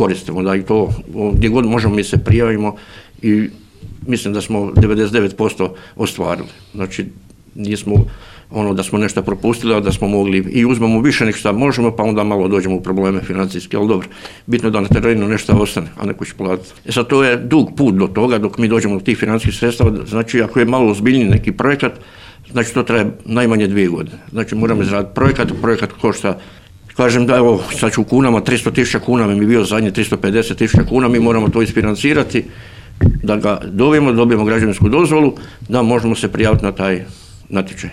koristimo, da i to gdje god možemo mi se prijavimo i mislim da smo 99% ostvarili. Znači nismo da smo nešto propustili, a da smo mogli i uzmemo više nego što možemo, pa onda malo dođemo u probleme financijske, ali dobro, bitno je da na terenu nešto ostane, a neko će platiti. Sad to je dug put do toga, dok mi dođemo do tih financijskih sredstava, znači ako je malo ozbiljniji neki projekat, znači to traje najmanje 2 godine. Znači moramo izraditi projekat košta, kažem da evo sad ću u kunama, 300.000 kuna mi bio zadnje 350.000 kuna, mi moramo to isfinancirati, da ga dobijemo građevinsku dozvolu, da možemo se prijaviti na taj natječaj.